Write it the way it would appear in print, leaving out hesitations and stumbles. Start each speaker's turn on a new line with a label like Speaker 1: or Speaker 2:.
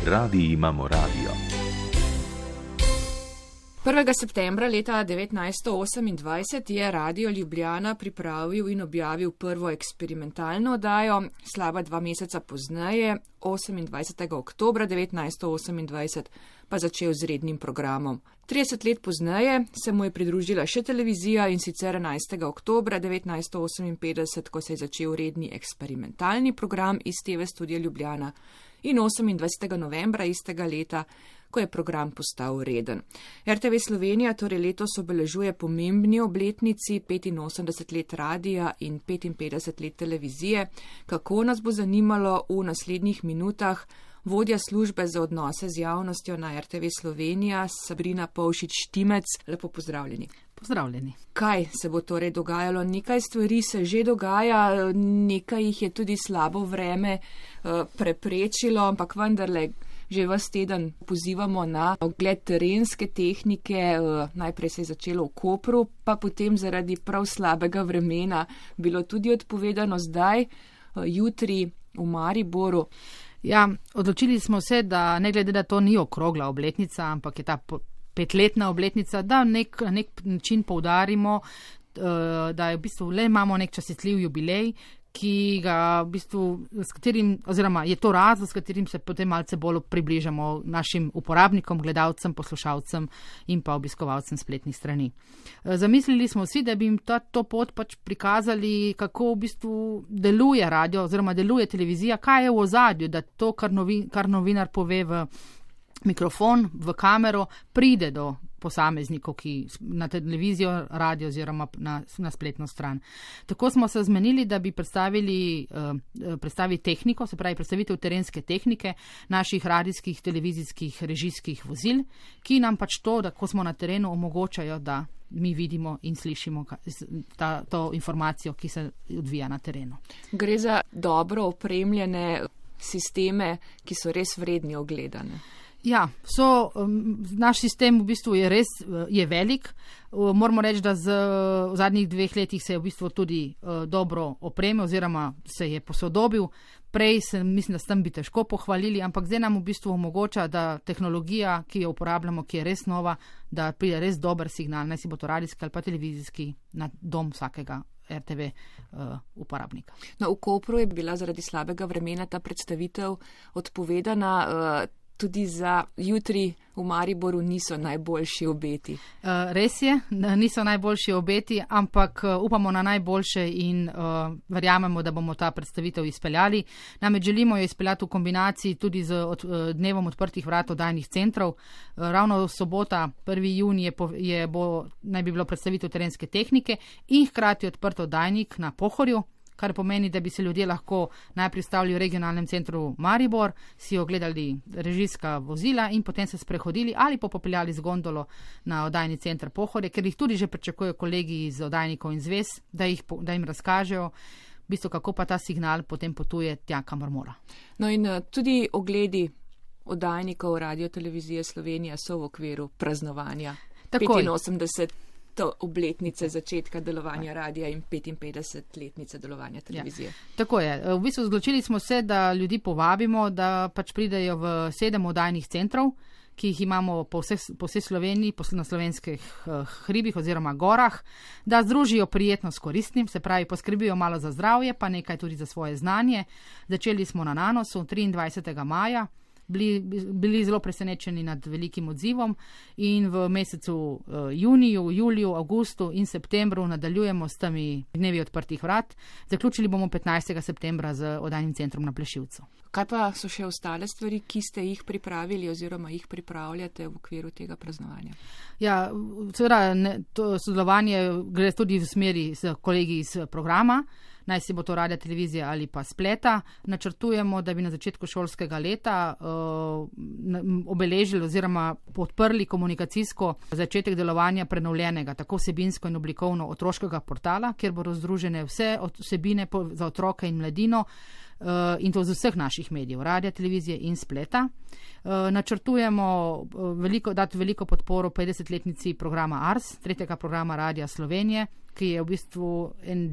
Speaker 1: Radi imamo radio.
Speaker 2: 1. septembra leta 1928 je Radio Ljubljana pripravil in objavil prvo eksperimentalno oddajo, slaba 2 meseca pozneje, 28. oktobra 1928, pa začel z rednim programom. 30 let pozneje se mu je pridružila še televizija in sicer 11. oktobra 1958, ko se je začel redni eksperimentalni program iz TV Studia Ljubljana in 28. novembra istega leta, ko je program postal reden. RTV Slovenija torej letos obeležuje pomembni obletnici 85 let radija in 55 let televizije. Kako nas bo zanimalo v naslednjih minutah, vodja službe za odnose z javnostjo na RTV Slovenija, Sabrina Pavšič-Štimec. Lepo pozdravljeni.
Speaker 3: Pozdravljeni.
Speaker 2: Kaj se bo torej dogajalo? Nekaj stvari se že dogaja, nekaj jih je tudi slabo vreme preprečilo, ampak vendarle že vas teden pozivamo na ogled terenske tehnike. Najprej se je začelo v Kopru, pa potem zaradi prav slabega vremena bilo tudi odpovedano zdaj, jutri v Mariboru.
Speaker 3: Ja, odločili smo se, da ne glede, da to ni okrogla obletnica, ampak je ta 5-letna obletnica, da na nek način poudarimo, da je v bistvu le imamo nek častitljiv jubilej, ki ga v bistvu, s katerim, oziroma je to razlog, s katerim se potem malce bolj približamo našim uporabnikom, gledalcem, poslušalcem in pa obiskovalcem spletnih strani. Zamislili smo si, da bi jim to pot pač prikazali, kako v bistvu deluje radio oziroma deluje televizija, kaj je v ozadju, da to, kar novinar pove v mikrofon, v kamero, pride do posameznikov, ki na televizijo, radio oziroma na spletno stran. Tako smo se zmenili, da bi predstavili tehniko, se pravi predstavitev terenske tehnike naših radijskih, televizijskih, režijskih vozil, ki nam pač to, da ko smo na terenu, omogočajo, da mi vidimo in slišimo to informacijo, ki se odvija na terenu.
Speaker 2: Gre za dobro opremljene sisteme, ki so res vredni ogledane.
Speaker 3: Ja, naš sistem v bistvu je velik. Moramo reči, da v zadnjih 2 letih se je v bistvu tudi dobro opremil oziroma se je posodobil. Prej mislim, da s tem bi težko pohvalili, ampak zdaj nam v bistvu omogoča, da tehnologija, ki jo uporabljamo, ki je res nova, da pride res dober signal, naj si bo to radijski ali pa televizijski, na dom vsakega RTV uporabnika.
Speaker 2: No, v Kopru je bila zaradi slabega vremena ta predstavitev odpovedana. Tudi za jutri v Mariboru niso najboljši obeti.
Speaker 3: Res je, niso najboljši obeti, ampak upamo na najboljše in verjamemo, da bomo ta predstavitev izpeljali. Namreč želimo jo izpeljati v kombinaciji tudi z dnevom odprtih vrat oddajnih centrov. Ravno sobota, 1. junij, naj bi bilo predstavitev terenske tehnike in hkrati odprt oddajnik na Pohorju, kar pomeni, da bi se ljudje lahko najprej stavili v regionalnem centru Maribor, si ogledali režijska vozila in potem se sprehodili ali pa popeljali z gondolo na oddajni center Pohorje, ker jih tudi že pričakujejo kolegi iz oddajnikov in zvez, da jim razkažejo, v bistvu, kako pa ta signal potem potuje tja, kamor mora.
Speaker 2: No in tudi ogledi oddajnikov Radio Televizije Slovenija so v okviru praznovanja 85 obletnice začetka delovanja radia in 55-letnice delovanja televizije.
Speaker 3: Ja, tako je. V bistvu odločili smo se, da ljudi povabimo, da pač pridejo v 7 oddajnih centrov, ki jih imamo po vsej Sloveniji, na slovenskih hribih oziroma gorah, da združijo prijetno s koristnim, se pravi poskrbijo malo za zdravje, pa nekaj tudi za svoje znanje. Začeli smo na Nanosu 23. maja. Bili zelo presenečeni nad velikim odzivom in v mesecu juniju, juliju, avgustu in septembru nadaljujemo s temi dnevi odprtih vrat. Zaključili bomo 15. septembra z oddajnim centrom na Plešivcu.
Speaker 2: Kaj pa so še ostale stvari, ki ste jih pripravili oziroma jih pripravljate v okviru tega praznovanja?
Speaker 3: Ja, seveda to sodelovanje gre tudi v smeri z kolegi iz programa, naj si bo to radio, televizija ali pa spleta. Načrtujemo, da bi na začetku šolskega leta obeležili oziroma podprli komunikacijsko začetek delovanja prenovljenega, tako vsebinsko in oblikovno otroškega portala, kjer bodo združene vse vsebine za otroke in mladino, in to z vseh naših medijev, radia, televizije in spleta. Načrtujemo dati veliko podporo 50-letnici programa ARS, 3. programa Radia Slovenije, ki je v bistvu en